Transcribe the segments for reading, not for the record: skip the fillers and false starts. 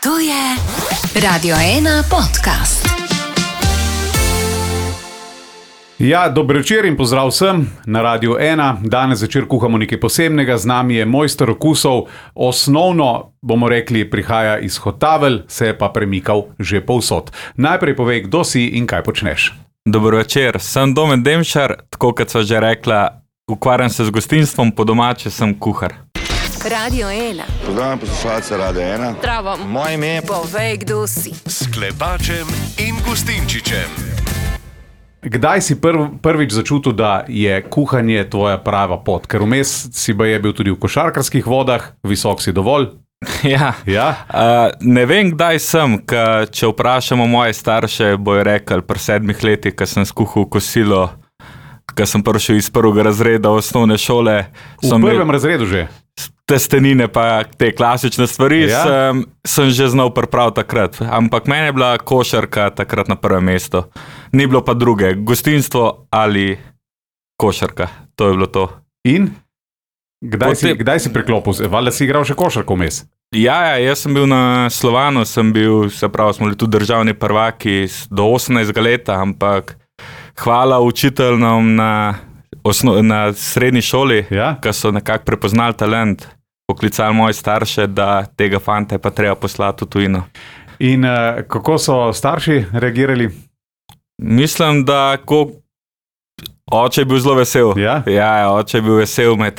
To je Radio 1 podcast. Ja, dobro večer in pozdrav vsem na Radio 1. Danes večer kuhamo nekaj posebnega, z nami je mojster okusov. Osnovno, bomo rekli, prihaja iz Hotavelj, se je pa premikal že povsod. Najprej povej, kdo si in kaj počneš. Dobro večer, sem Domen Demšar, tako kot sva že rekla, ukvarjam se z gostinstvom, po domače sem kuhar. Radio 1. Pozdravljam poslušalce Radio 1. Zdravo. Moje ime je... Povej, kdo si. S Klepačem in Gustinčičem. Kdaj si prvič začutil, da je kuhanje tvoja prava pot? Ker vmes si baje bil tudi v košarkarskih vodah, visok si dovolj. Ja. Ne vem, kdaj sem, če vprašamo moje starše, bojo rekli pri 7 letih, ko sem skuhal kosilo, ko sem prišel iz prvega razreda osnovne šole. V prvem razredu že? Testenine pa te klasične stvari sem že znal pripraviti takrat. Ampak meni je bila košarka takrat na prvem mestu. Ni bilo pa druge, gostinstvo ali košarka. To je bilo to. In? Kdaj si priklopil? Valjda si igral še košarko vmes? Ja, jaz sem bil na Slovanu, smo bili tudi državni prvaki do 18 leta, ampak hvala učiteljnom na srednji šoli, ki so nekako prepoznali talent, poklicali moje starše, da tega fanta je pa treba poslati v tujino. In kako so starši reagirali? Mislim, da oče je bil zelo vesel. Ja, oče je bil vesel, me je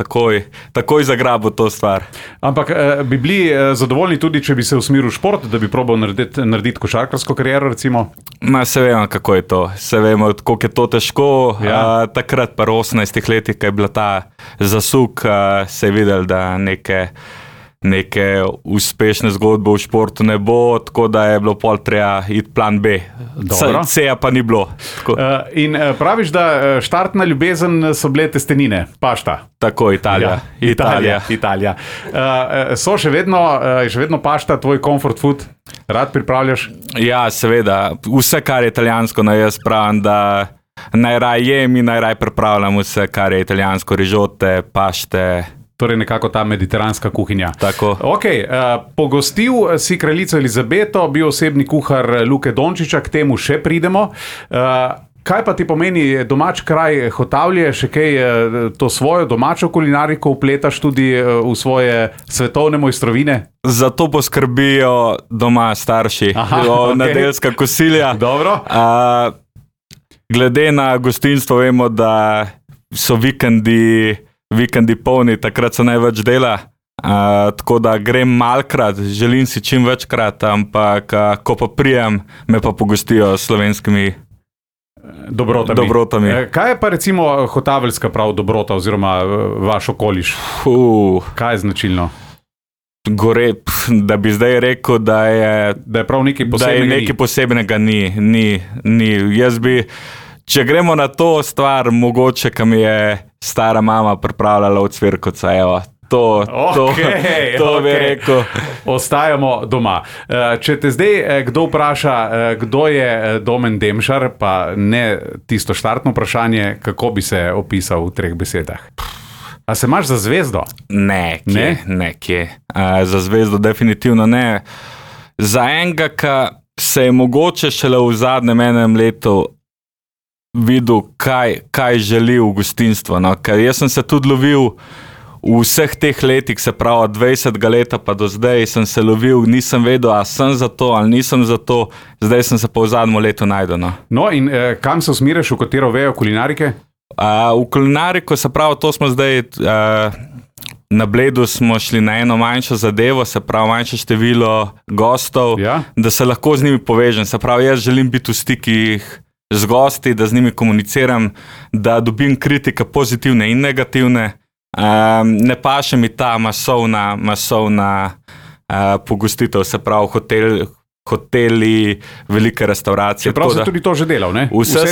takoj zagrabil to stvar. Ampak bi bili zadovoljni tudi, če bi se usmeril v šport, da bi probal narediti košarkarsko kariero, recimo? Se vemo, kako je to. Se vemo, koliko je to težko. Takrat pa 18 letih, ko je bila ta zasuk, se je videl, da neke uspešne zgodbe v športu ne bo, tako da je bilo pol treba iti plan B. C-ja pa ni bilo. In praviš, da štartna ljubezen so bile testenine, pašta. Tako, Italija. So še vedno pašta tvoj comfort food? Rad pripravljaš? Ja, seveda. Vse, kar je italijansko, jaz pravim, da najraj jem in najraj pripravljam vse, kar je italijansko, rižote, pašte. Torej nekako ta mediteranska kuhinja. Tako. Pogostil si kraljico Elizabeto, bil osebni kuhar Luke Dončiča, k temu še pridemo. Kaj pa ti pomeni domač kraj Hotavlje, še kaj to svojo domačo kulinariko vpletaš tudi v svoje svetovne mojstrovine? Zato poskrbijo doma starši, nedeljska kosilja. Dobro. Glede na gostinstvo vemo, da so vikendi polni, takrat se največ dela, tako da grem malkrat, želim si čim večkrat, ampak ko pa prijem, me pa pogostijo s slovenskimi dobrotami. Kaj je pa recimo hotaveljska prav dobrota oziroma vaš okoliš? Kaj je značilno? Da bi zdaj rekel, da je prav nekaj posebnega, ni. Jaz bi, če gremo na to stvar, mogoče, kam je stara mama pripravljala od cvirkovca, evo. To bi rekel. Ostajamo doma. Če te zdaj kdo vpraša, kdo je Domen Demšar, pa ne tisto štartno vprašanje, kako bi se opisal v 3 besedah? A se imaš za zvezdo? Ne, kje. Za zvezdo definitivno ne. Za enega, ki se je mogoče šele v zadnjem enem letu videl, kaj želi v gostinstvo. Ker jaz sem se tudi lovil v vseh teh letih, se pravi od 20 leta pa do zdaj sem se lovil, nisem vedel, a sem za to ali nisem za to, zdaj sem se pa v zadnjem letu najdel. No in kam se usmeriš, v katero vejo kulinarike? V kulinariko, se pravi, to smo zdaj, na Bledu smo šli na eno manjšo zadevo, se pravi manjše število gostov, da se lahko z njimi povežem. Se pravi, jaz želim biti v stikih z gosti, da z njimi komuniciram, da dobim kritike pozitivne in negativne. Ne paše mi ta masovna pogostitev, se pravi hoteli, velike restauracije. Čeprav si tudi to že delal, ne? Vse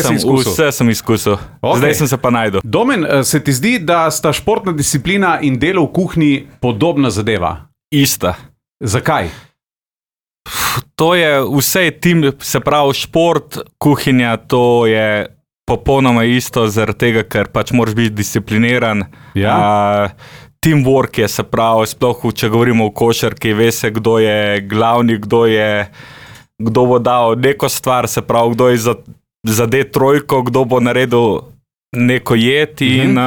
sem izkusil. Zdaj sem se pa najdel. Domen, se ti zdi, da sta športna disciplina in delo v kuhinji podobna zadeva? Ista. Zakaj? To je vse tim, se pravi šport, kuhinja, to je popolnoma isto, zaradi tega, ker pač moraš biti discipliniran. teamwork je, se pravi, sploh če govorimo o košarki, ve se, kdo je glavni, kdo bo dal neko stvar, se pravi, kdo je zadet trojko, kdo bo naredil neko jed in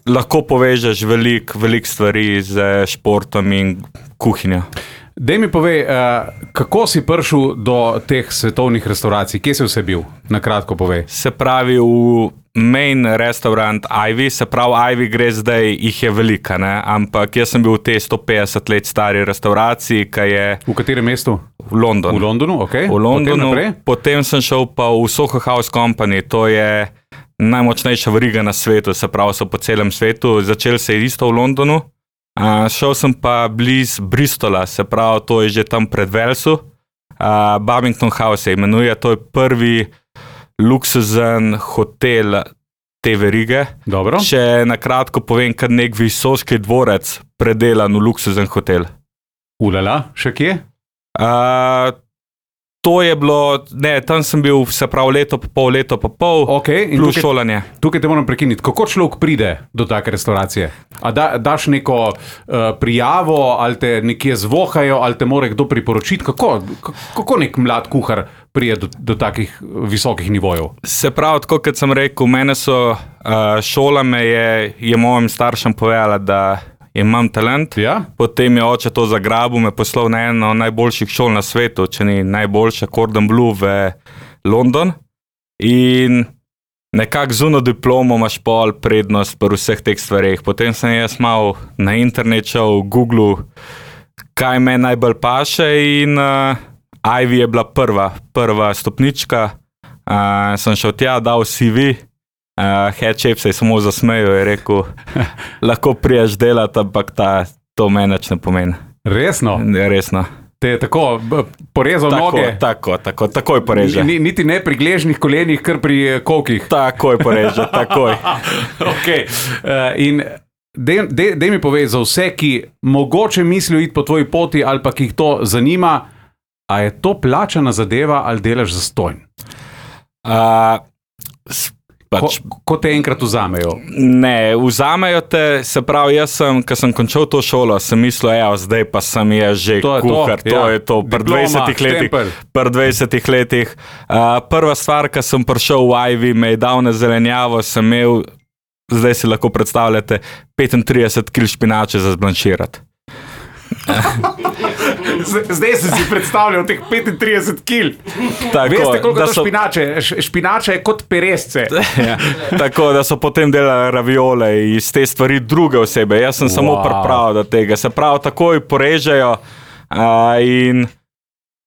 lahko povežeš veliko stvari z športom in kuhinjo. Dej mi povej, kako si prišel do teh svetovnih restauracij? Kje si vse bil? Na kratko povej. Se pravi, v main restaurant Ivy, se pravi, Ivy gre zdaj, jih je velika, ne? Ampak jaz sem bil v tej 150 let stari restauraciji, ki je... V katerem mestu? V Londonu. V Londonu, ok. V Londonu, potem sem šel pa v Soho House Company, to je najmočnejša veriga na svetu, se pravi, so po celem svetu, začel se je isto v Londonu. Šel sem pa bliz Bristola, se pravi, to je že tam pred Walesu. Babington House se imenuje, to je prvi luksuzen hotel te verige. Dobro. Če na kratko povem, kar nek visoki dvorec predelan v luksuzen hotel. Ulala, še kje? To je bilo, tam sem bil, se pravi, leto pa pol, okay, plus šolanje. Tukaj te moram prekiniti. Kako človek pride do take restauracije? A daš neko prijavo, ali te nekje zvohajo, ali te mora kdo priporočiti? Kako nek mlad kuhar pride do takih visokih nivojev? Se pravi, tako kot sem rekel, mene so šola me je mojim staršem povedala, da imam talent, potem je oče to zagrabil, me poslal na eno najboljših šol na svetu, če ni najboljša, Cordon Bleu v London. In nekako zuno diplomo imaš pol prednost pri vseh teh stvareh. Potem sem jaz malo na internet šel, Google, kaj me najbolj paše in Ivy je bila prva stopnička. Sem šel tja, dal CV, head chef se je samo zasmejal, je rekel, lahko priješ delati, ampak to meni ne pomeni. Resno? Resno. Te je tako porezal noge? Takoj poreže. Niti ne pri gležnih kolenih, kar pri kokih? Takoj poreže, takoj. Ok. In dej mi povej, za vse, ki mogoče mislijo iti po tvoji poti ali pa ki jih to zanima, a je to plačana zadeva ali delaš zastonj? Ko te enkrat vzamejo? Ne, vzamejo te, se pravi, jaz sem, ko sem končal to šolo, sem mislil, zdaj pa sem že kuhar, to je to, pri 20 letih. Prva stvar, ko sem prišel v Ivy, me je dal na zelenjavo, sem imel, zdaj si lahko predstavljate, 35 kil špinače za zblanširati. Zdaj si predstavljal teh 35 kil. Veste, koliko to špinače? Špinače je kot peresce. Tako, da so potem delali raviole iz te stvari druge osebe. Jaz sem samo pripravil do tega. Se pravi, takoj porežejo in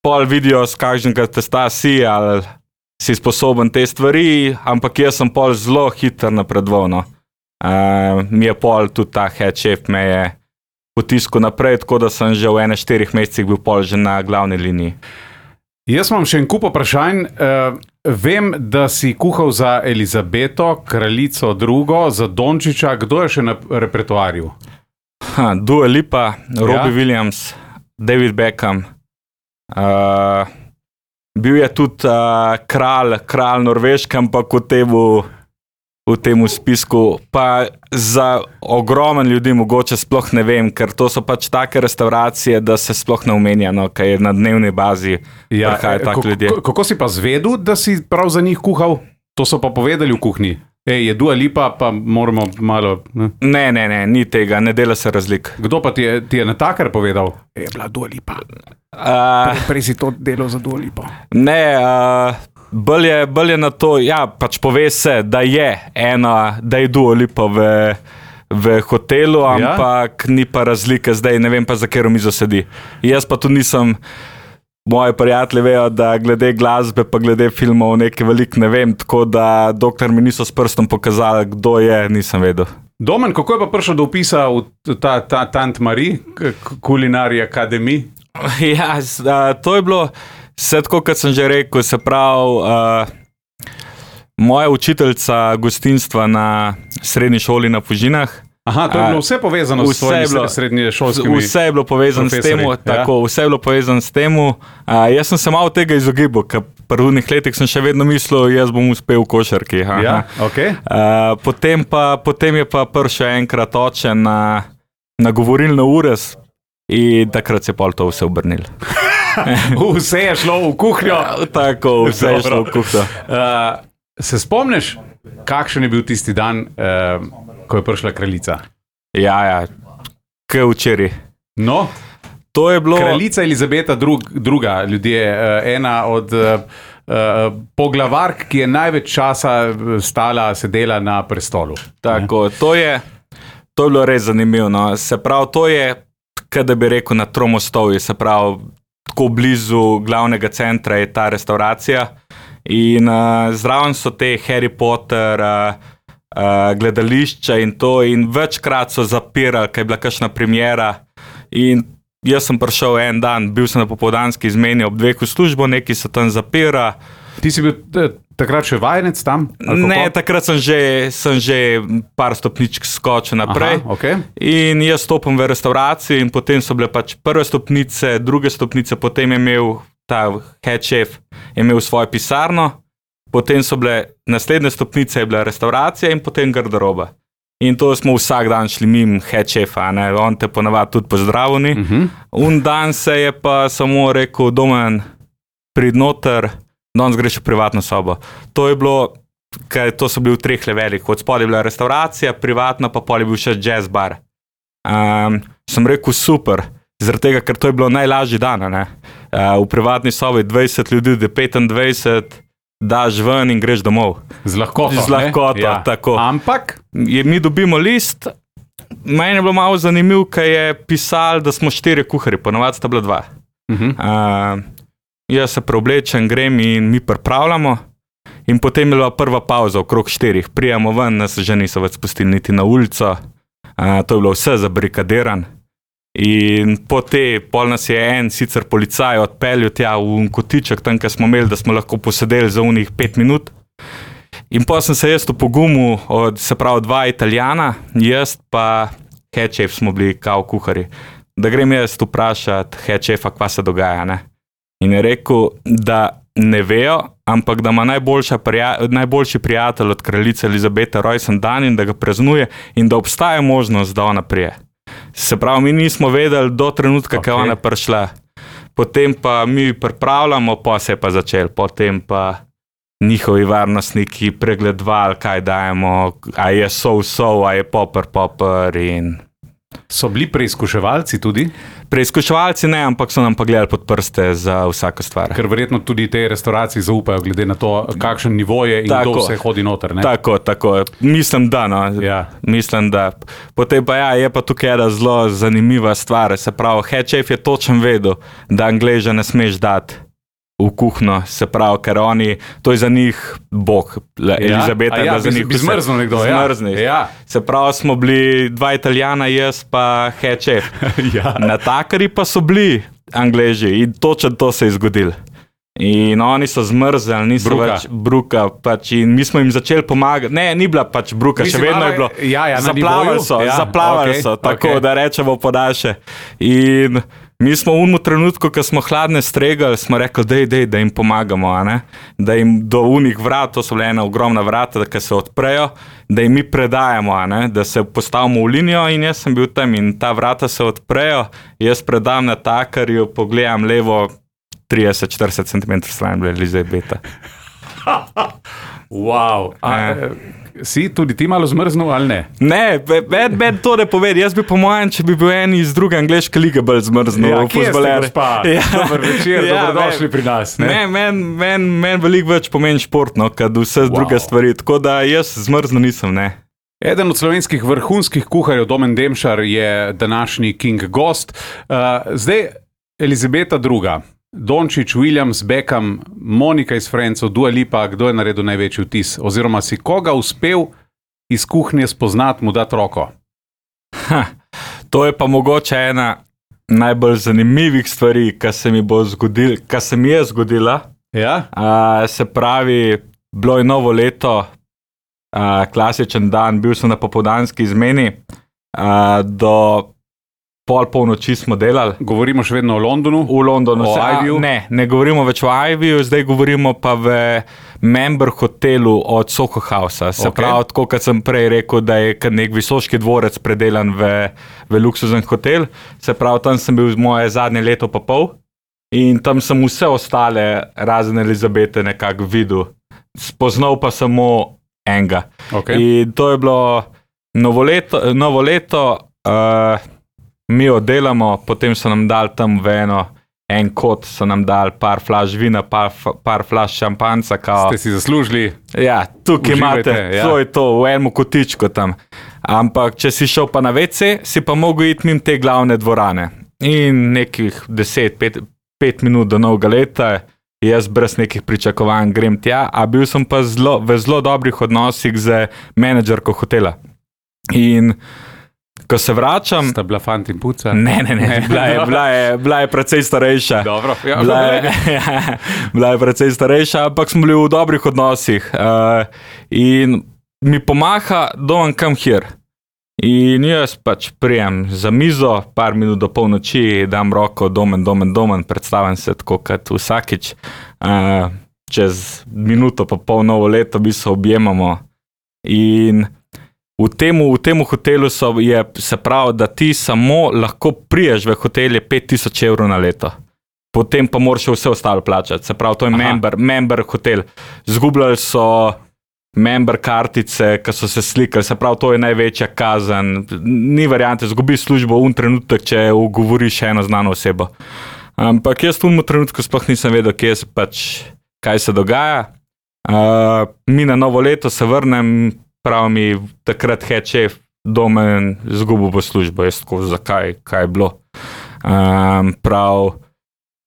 pol vidijo, s kakšnega testa si, ali si sposoben te stvari, ampak jaz sem pol zelo hiter napredoval. Mi je pol tudi ta head chef me je potisku naprej, tako da sem že v 4 mesecih bil pol že na glavni liniji. Jaz imam še en kup vprašanj. Vem, da si kuhal za Elizabeto, kraljico drugo, za Dončića. Kdo je še na repertoarju? Dua Lipa, Robbie Williams, David Beckham. Bil je tudi kralj Norveške, ampak v tem spisku, pa za ogromen ljudi mogoče sploh ne vem, ker to so pač take restauracije, da se sploh ne omenja, kaj je na dnevni bazi prihajajo tak ljudje. Kako si pa zvedel, da si prav za njih kuhal? To so pa povedali v kuhinji. Je Dua Lipa, pa moramo malo... Ne, ni tega, ne dela se razlik. Kdo pa ti je natakar povedal? Je bila Dua Lipa. Prej si to delal za Dua Lipo. Ne, bolj je na to, pač pove se, da je Dua Lipa v hotelu, ampak ni pa razlike zdaj, ne vem pa za katero mizo sedi. Jaz pa tudi nisem, moji prijatelji vejo, da glede glasbe pa glede filmov nekaj veliko ne vem, tako da dokler mi niso s prstom pokazali, kdo je, nisem vedel. Domen, kako je pa prišel do vpisa v ta Tant Marie, Culinary Academy? To je bilo vse tako, kot sem že rekel, se pravi, moja učiteljica gostinstva na srednji šoli na Fužinah. Aha, to je bilo vse povezano s svojimi srednješolskimi profesori. Vse je bilo povezano s tem, vse je bilo povezano s tem. Jaz sem se malo tega izogibal, ker v prvih letih sem še vedno mislil, jaz bom uspel v košarki. Okay. Potem je pa prišel enkrat oče na nagovorili na ures in takrat se je pol to vse obrnilo. Vse je šlo v kuhnjo. Tako, vse je šlo v kuhnjo. Se spomniš, kakšen je bil tisti dan, ko je prišla kraljica? Ja, kaj včeraj. No, to je bilo... Kraljica Elizabeta druga, ljudje, ena od poglavark, ki je največ časa sedela na prestolu. Tako, to je bilo res zanimivo. No. Se pravi, to je, kaj da bi rekel, na Tromostovju, se pravi, tako blizu glavnega centra je ta restauracija in zraven so te Harry Potter gledališča in to in večkrat so zapirali, kaj je bila kakšna premiera in jaz sem prišel en dan, bil sem na popoldanski izmeni ob 2 v službo, neki se tam zapira. Ti si bil takrat še vajenec tam? Ne, takrat sem že par stopničk skočil naprej. Aha, okay. In jaz stopim v restauracijo in potem so bile pač prve stopnice, druge stopnice, potem je imel ta head chef imel svojo pisarno, potem so bile naslednje stopnice, je bila restauracija in potem garderoba. In to smo vsak dan šli mimo head chefa, on te ponavadi tudi pozdravljeni. Un dan se je pa samo rekel, Domen, prid noter, danes greš v privatno sobo. To je bilo, to so bili v 3 levelih. Od spodaj je bila restauracija, privatna, pa pol je bil še jazz bar. Sem rekel, super, zaradi tega, ker to je bilo najlažji dan. V privatni sobi 20 ljudi, 25, daš ven in greš domov. Z lahkoto. Ja. Tako. Ampak? Mi dobimo list, meni je bilo malo zanimivo, kaj je pisal, da smo 4 kuharji, ponavadi sta bila 2. Jaz se preoblečem, grem in mi pripravljamo in potem je bila prva pauza okrog 4. Prijemo ven, nas že niso več spustili niti na ulico, to je bilo vse zabarikadiran. In pol nas je en sicer policaj odpeljal tja v kotiček, tam, kjer smo imeli, da smo lahko posedeli za unih 5 minut. In potem sem se jaz pogumil se pravi 2 Italijana, jaz pa head chef smo bili kao kuhari. Da grem jaz vprašati head chefa, kva se dogaja, ne. In je rekel, da ne vejo, ampak da ima najboljši prijatelj od kraljice Elizabete rojsten dan in da ga praznuje in da obstaja možnost, da ona prije. Se pravi, mi nismo vedeli do trenutka, kaj ona prišla. Potem pa mi pripravljamo, pa se je pa začel. Potem pa njihovi varnostniki pregledovali, kaj dajemo, a je sol, a je popper in... So bili preizkuševalci tudi? Preizkuševalci ne, ampak so nam pa gledali pod prste za vsako stvar. Ker verjetno tudi te restauracije zaupajo, glede na to, kakšen nivo je in kdo vse hodi noter, ne? Tako. Mislim, da, no. Ja. Mislim, da. Potem pa je pa tukaj ena zelo zanimiva stvar. Se pravi, head chef je točno vedel, da Angleža ne smeš dati v kuhno, se pravi, ker oni, to je za njih Bog, Elizabeta, da za njih bi zmrznil nekdo, ja. Se pravi, smo bili 2 Italijana, jaz pa head chef. Ja. Natakari pa so bili Angleži in točno to se je zgodilo. In oni so zmrzeli, niso več bruka, pač in mi smo jim začeli pomagati. Ne, ni bila pač bruka, še vedno je bilo. Zaplavali so, tako da rečemo podaljše. In mi smo v trenutku, ko smo hladne stregali, smo rekli, da jim pomagamo, da jim do unih vrat, to so bile ena ogromna vrata, da se odprejo, da jim mi predajamo, da se postavimo v linijo in jaz sem bil tam in ta vrata se odprejo, jaz predam natakarju, pogledam levo 30-40 cm stran bila Elizabeta. Wow. Si tudi ti malo zmrznil ali ne? Ne, meni to ne povedi. Jaz bi po mojem, če bi bil en iz druge angleške lige bolj zmrznil. Ja, kje ste, gospa? Dobar večer, dobrodošli pri nas. Ne, meni veliko več pomeni športno, kad vse druge stvari. Tako da jaz zmrznil nisem, ne. Eden od slovenskih vrhunskih kuharjev, Domen Demšar, je današnji king gost. Zdaj, Elizabeta II., Dončić, Williams, Beckham, Monika iz Friendsov, Dua Lipa, kdo je naredil največji vtis? Oziroma si koga uspel iz kuhnje spoznati, mu dati roko? To je pa mogoče ena najbolj zanimivih stvari, kar se mi je zgodila. Ja? Se pravi, bilo je novo leto, klasičen dan, bil sem na popoldanski izmeni, do pol polnoči smo delali. Govorimo še vedno o Londonu? V Londonu. O Ivyju? Ne govorimo več o Ivyju, zdaj govorimo pa v member hotelu od Soho Housea. Se pravi, tako kot sem prej rekel, da je nek visoški dvorec predelan v luksuzen hotel. Se pravi, tam sem bil moje zadnje leto pa pol in tam sem vse ostale razen Elizabete nekako videl. Spoznal pa samo enega. In to je bilo novo leto, mi oddelamo, potem so nam dali tam v en kot, so nam dali par flaš vina, par flaš šampanca. Ste si zaslužili? Ja, tukaj imate, to je to, v enem kotičku tam. Ampak, če si šel pa na WC, si pa mogel iti mimo te glavne dvorane. In nekih 5 minut do novega leta, jaz brez nekih pričakovanj grem tja, a bil sem pa v zelo dobrih odnosih z menedžerko hotela. In ko se vračam... Sta bila fant in puca? Ne, bila je precej starejša. Dobro. Ja, bila je precej starejša, ampak smo bili v dobrih odnosih. In mi pomaha, don't come here. In jaz pač prijem za mizo, par minut do polnoči, dam roko, domen, predstavim se tako kot vsakič. Čez minuto pa pol novo leto mi se objemamo. In v temu hotelu se pravi, da ti samo lahko priješ v hotel 5,000 evrov na leto. Potem pa moraš vse ostalo plačati. Se pravi, to je member hotel. Zgubljali so member kartice, ki so se slikali. Se pravi, to je največja kazen. Ni variante, zgubiš službo v trenutek, če ugovoriš eno znano osebo. Ampak jaz v tem trenutku sploh nisem vedel, kaj se dogaja. Mi na novo leto se vrnem, prav mi takrat head chef Domen zgubil v službo. Jaz tako, zakaj, kaj je bilo? Prav,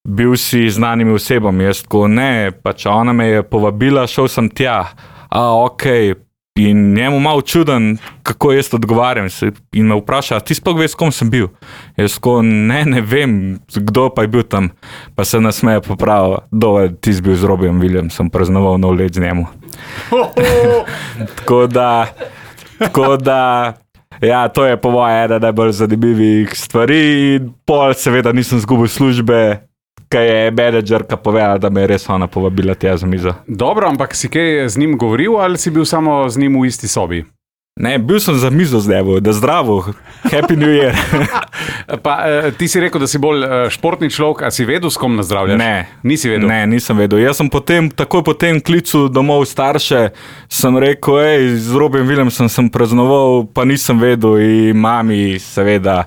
bil si znanimi osebami. Jaz tako, ne, pač ona me je povabila, šel sem tja. Okej. In njemu malo čuden, kako jaz odgovarjam. In me vpraša, ti sploh veš, s kom sem bil? Jaz tako, ne vem, kdo pa je bil tam. Pa se nasmeje popravil, ti si bil z Robijem Williamsom, praznoval nov let z njemu. Tako da, ja, to je po moje ena najbolj zanimivih stvari. In pol seveda nisem zgubil službe, kaj je menedžerka povedala, da me je res ona povabila tja za mizo. Dobro, ampak si kaj z njim govoril ali si bil samo z njim v isti sobi? Ne, bil sem za mizo z njim, da zdravo, happy new year. Pa ti si rekel, da si bolj športni človek, a si vedel, s kom nazdravljaš? Ne. Nisi vedel? Ne, nisem vedel. Jaz sem takoj potem klical domov starše, sem rekel, z Robijem Williamsom sem praznoval, pa nisem vedel in mami seveda,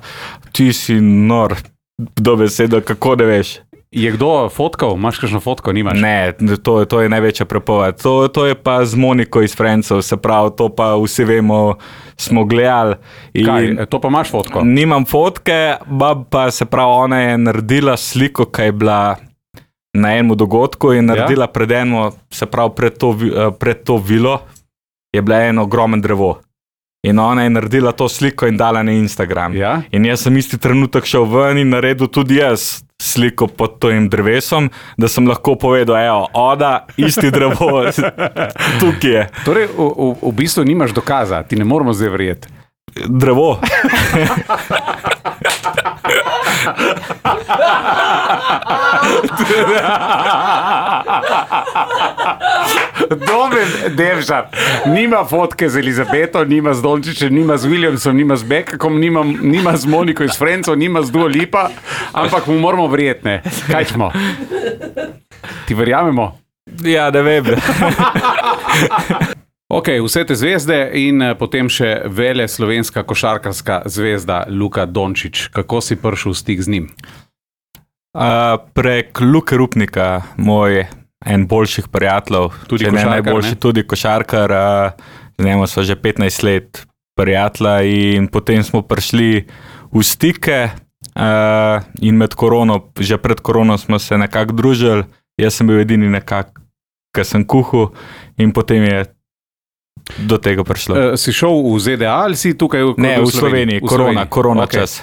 ti si nor, dobesedno, kako ne veš. Je kdo fotkal? Imaš kakšno fotko? Nimaš? Ne, to je največja prepoved. To je pa z Moniko iz Friendsov, se pravi, to pa vsi vemo, smo gledali. Kaj, to pa imaš fotko? Nimam fotke, pa se pravi, ona je naredila sliko, ki je bila na enem dogodku in naredila pred eno, se pravi, pred to vilo je bila eno ogromen drevo. In ona je naredila to sliko in dala na Instagram. Ja? In jaz sem isti trenutek šel ven in naredil tudi jaz sliko pod tojim drevesom, da sem lahko povedal, oda, isti drevo, tukaj je. Torej, v bistvu nimaš dokaza, ti ne moramo zdaj verjeti. Drevo. Domen Devžar nima fotke z Elizabeto, nima z Dončićem, nima z Williamsom, nima z Bekakom, nima z Moniko iz Friendsov, nima z Dua Lipa, ampak mu moramo verjeti, ne? Kaj smo? Ti verjamemo? Ja, ne vem. Ok, vse te zvezde in potem še vele slovenska košarkarska zvezda Luka Dončić. Kako si prišel v stik z njim? Prek Luke Rupnika, moj en boljših prijateljev, tudi košarkar, najboljši, tudi košarkar, z njim so že 15 let prijatelja in potem smo prišli v stike in med korono, že pred korono smo se nekako družili, jaz sem bil edini nekako, ki sem kuhal in potem je do tega prišlo. Si šel v ZDA ali si tukaj v Sloveniji? Korona okay. Čas.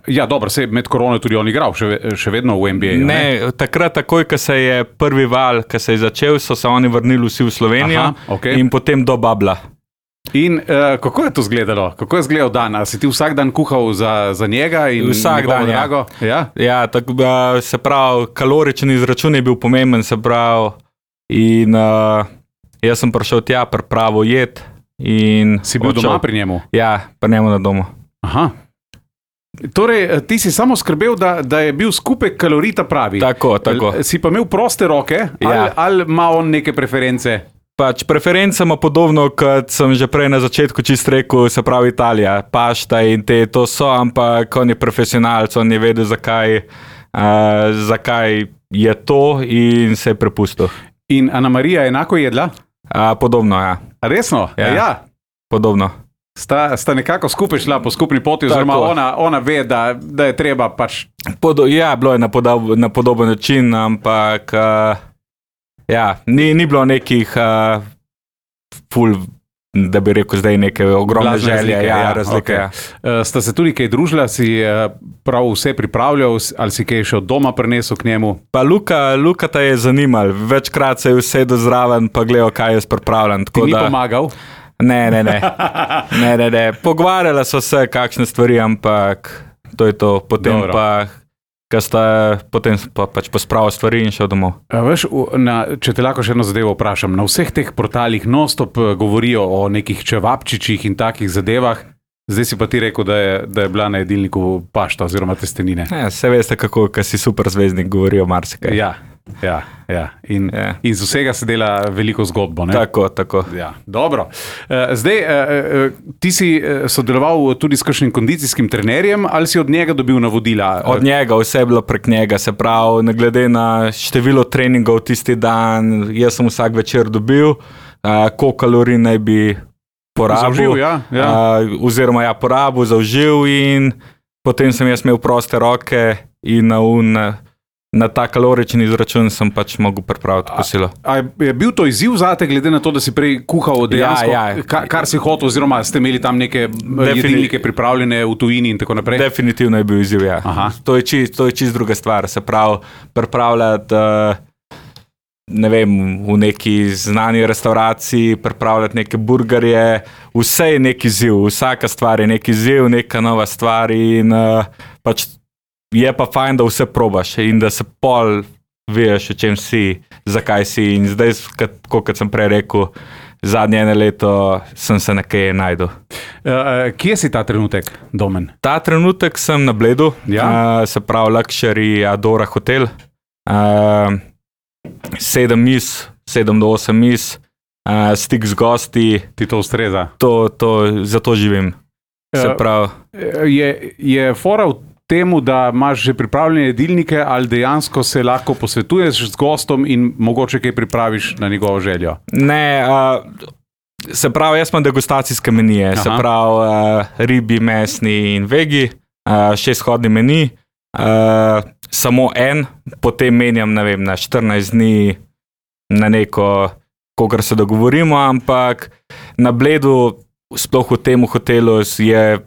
Ja, dobro, med korono tudi on igral, še vedno v NBA. Ne, takrat, takoj, ko se je prvi val, ko se je začel, so se oni vrnili vsi v Slovenijo. Aha, okay. In potem do Babla. In kako je to izgledalo? Kako je izgledal dan? A si ti vsak dan kuhal za njega? Vsak dan, ja. Tako, se pravi, kaloričen izračun je bil pomemben, se pravi, in jaz sem prišel tja, pripravil jed. Si bil doma pri njemu? Ja, pri njemu na domu. Aha. Torej, ti si samo skrbel, da je bil skupek kalorij ta pravi. Tako. Si pa imel proste roke, ali ima on neke preference? Preference ima podobno, kot sem že prej na začetku čist rekel, se pravi Italija, pašta in to so, ampak on je profesionalc, on je vedel, zakaj je to in se je prepustil. In Ana Marija enako jedla? Podobno, ja. A resno? Ja. Podobno. Sta nekako skupaj šla po skupni poti, oziroma ona ve, da je treba pač... Bilo je na podoben način, ampak ni bilo nekih da bi rekel zdaj neke ogromne želje, razlike. Okay. Sta se tudi kaj družila, si prav vse pripravljal, ali si kaj še od doma prinesel k njemu? Pa Luka ta je zanimal, večkrat se je usedel zraven, pa gledal, kaj jaz pripravljam. Ti ni pomagal? Ne. Pogovarjala so se kakšne stvari, ampak to je to. Potem pa pač pospravil stvari in šel domov. Veš, če te lahko še eno zadevo vprašam, na vseh teh portalih non-stop govorijo o nekih čevapčičih in takih zadevah, zdaj si pa ti rekel, da je bila na jedilniku pašta oziroma testenine. Se veste, kako si super zvezdnik, govorijo marsikaj. Ja. In z vsega se dela veliko zgodbo. Ne? Tako. Ja, dobro. Zdaj, ti si sodeloval tudi s kakšnim kondicijskim trenerjem, ali si od njega dobil navodila? Od njega, vse je bilo prek njega, se pravi, ne glede na število treningov tisti dan, jaz sem vsak večer dobil, koliko kalorij naj bi porabil. Zaužil, oziroma porabil, zaužil in potem sem jaz imel proste roke in na ta kalorični izračun sem pač mogel pripraviti kosilo. A je bil to izziv zate, glede na to, da si prej kuhal dejansko, kar si hotel, oziroma ste imeli tam neke jedilnike pripravljene v tujini in tako naprej? Definitivno je bil izziv, ja. To je čist druga stvar, se pravi, pripravljati, ne vem, v neki znani restauraciji, pripravljati neke burgerje, vse je neki izziv, vsaka stvar je neki izziv, neka nova stvar in pač je pa fajn, da vse probaš in da se pol veš, o čem si, zakaj si in zdaj, kot sem prej rekel, zadnje 1 leto sem se nekaj najdel. Kje si ta trenutek, Domen? Ta trenutek sem na Bledu, se pravi Luxury Adora hotel, 7 do 8 mis, stik z gosti. Ti to ustreza? Zato živim. Se pravi. Je fora v temu, da imaš že pripravljene jedilnike, ali dejansko se lahko posvetuješ z gostom in mogoče kaj pripraviš na njegovo željo? Ne, se pravi, jaz imam degustacijske menije, se pravi ribi, mesni in vegi, 6-hodni meni, samo en, potem menjam, ne vem, na 14 dni na neko, kogar se dogovorimo, ampak na Bledu, sploh v tem hotelu je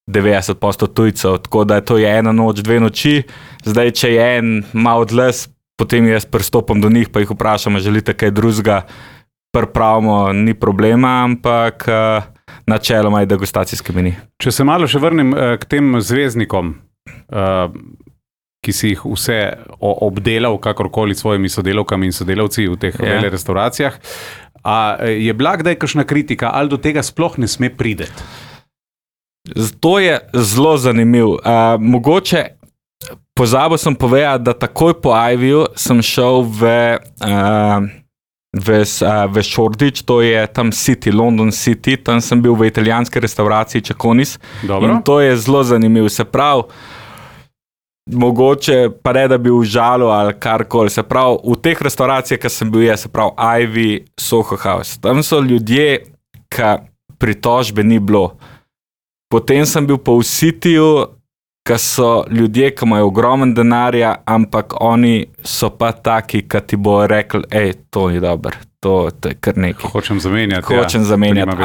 90% tujcev, tako da to je 1 noč, 2 noči. Zdaj, če je en malo odles, potem jaz pristopam do njih, pa jih vprašam, želite kaj drugega, pripravimo, ni problema, ampak načeloma je degustacijski meni. Če se malo še vrnem k tem zvezdnikom, ki si jih vse obdelal, kakorkoli s svojimi sodelavkami in sodelavci v teh vele restauracijah, je bila kdaj kakšna kritika, ali do tega sploh ne sme prideti? To je zelo zanimiv. Mogoče pozabil sem povedati, da takoj po Iviju sem šel v Shoreditch, to je tam City, London City, tam sem bil v italijanski restauraciji Ceconis. In to je zelo zanimiv. Se pravi, mogoče pa ne, da bi užalil ali karkoli. Se pravi, v teh restauracijah, ki sem bil se pravi Ivy, Soho House, tam so ljudje, ki pritožbe ni bilo. Potem sem bil pa v Cityju, ki so ljudje, ki imajo ogromen denarja, ampak oni so pa taki, ki ti bo rekli, to ni dobro, to je kar nekaj. Hočem zamenjati.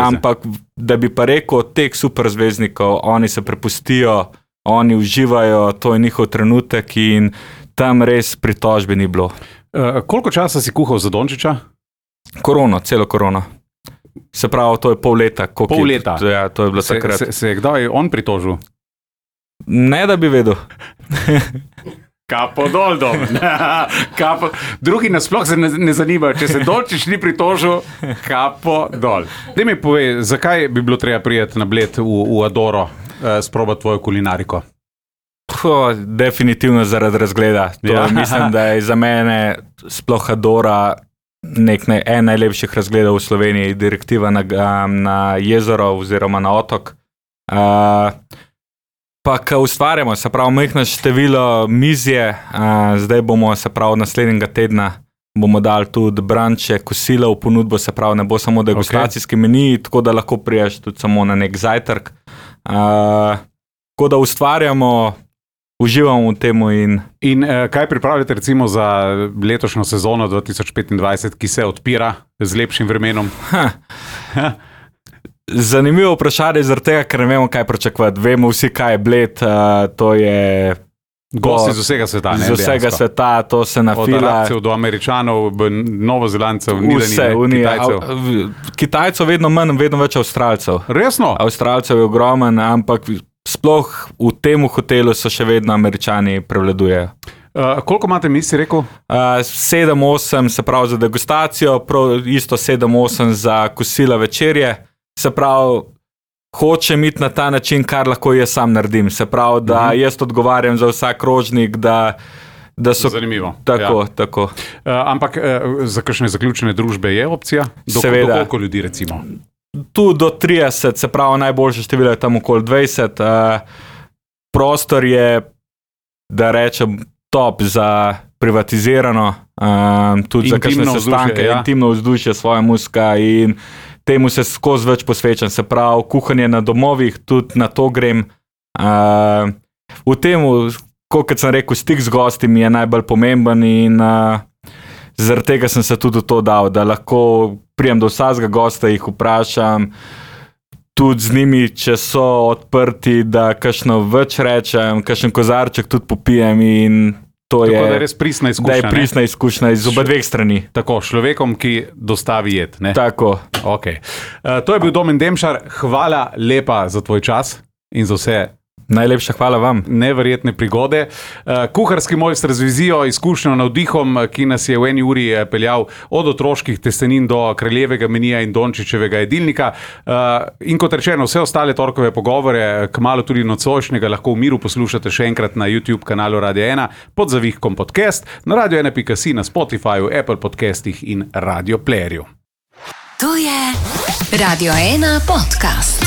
Ampak da bi pa rekel od teh super zvezdnikov, oni se prepustijo, oni uživajo, to je njihov trenutek in tam res pritožbe ni bilo. Koliko časa si kuhal za Dončića? Celo korono. Se pravi, to je pol leta. Pol leta? Ja, to je bilo takrat. Se je kdaj on pritožil? Ne, da bi vedel. Kapo dol, dom. Drugi nasploh se ne zanimajo, če se Dončić ni pritožil, kapo dol. Daj mi povej, zakaj bi bilo treba prijeti na Bled v Adoro, sprobati tvojo kulinariko? Definitivno zaradi razgleda. Mislim, da je za mene sploh Adora en najlepših razgledov v Sloveniji, direktiva na jezero oziroma na otok. Pa, ko ustvarjamo, se pravi, majhno število mizje, zdaj bomo, se pravi, naslednjega tedna bomo dali tudi branče, kosila v ponudbo, se pravi, ne bo samo degustacijski meni, tako da lahko priješ tudi samo na nek zajtrk. Tako da ustvarjamo, uživamo v temu. In kaj pripravljate recimo za letošnjo sezono 2025, ki se odpira z lepšim vremenom? Zanimivo vprašanje zaradi tega, ker ne vemo, kaj pričakovati. Vemo vsi, kaj je Bled, to je... Gosti z vsega sveta, ne? Z vsega sveta, to se nafila. Od Arabcev do Američanov, Novozelandcev, Kitajcev. Kitajcev vedno manj, vedno več Avstralcev. Resno? Avstralcev je ogromen, ampak sploh v tem hotelu so še vedno Američani prevladujejo. Koliko imate misli, rekel? 7-8, se pravi za degustacijo, isto 7-8 za kosila večerje. Se pravi, hočem iti na ta način, kar lahko jaz sam naredim. Se pravi, da jaz odgovarjam za vsak krožnik, da so... Zanimivo. Tako, tako. Ampak za kakšne zaključene družbe je opcija? Seveda. Do koliko ljudi recimo? Tu do 30, se pravi, najboljše število je tam okoli 20. Prostor je, da rečem, top za privatizirano, tudi za kakšne sestanke, intimno vzdušje, svoja muzika in temu se skozi več posvečam, se pravi, kuhanje na domovih, tudi na to grem. V temu, kot sem rekel, stik z gosti mi je najbolj pomemben in zaradi tega sem se tudi v to dal, da lahko prijem do vsakega gosta, jih vprašam, tudi z njimi, če so odprti, da kakšno več rečem, kakšen kozarček tudi popijem in to je, da je res pristna izkušnja. Da je pristna izkušnja iz oba dveh strani. Tako, človekom, ki dostavi jed. Ne? Tako. Okay. To je bil Domen Demšar. Hvala lepa za tvoj čas in za vse. Najlepša hvala vam. Neverjetne prigode. Kuharski mojster z vizijo, izkušnjo, navdihom, ki nas je v eni uri peljal od otroških testenin do kraljevega menija in Dončićevega jedilnika. In kot rečeno, vse ostale torkove pogovore, kmalu tudi nocojšnjega, lahko v miru poslušate še enkrat na YouTube kanalu Radio 1 pod zavihkom podcast, na radio1.si, na Spotifyju, Apple podcastih in Radio Playerju. To je Radio 1 podcast.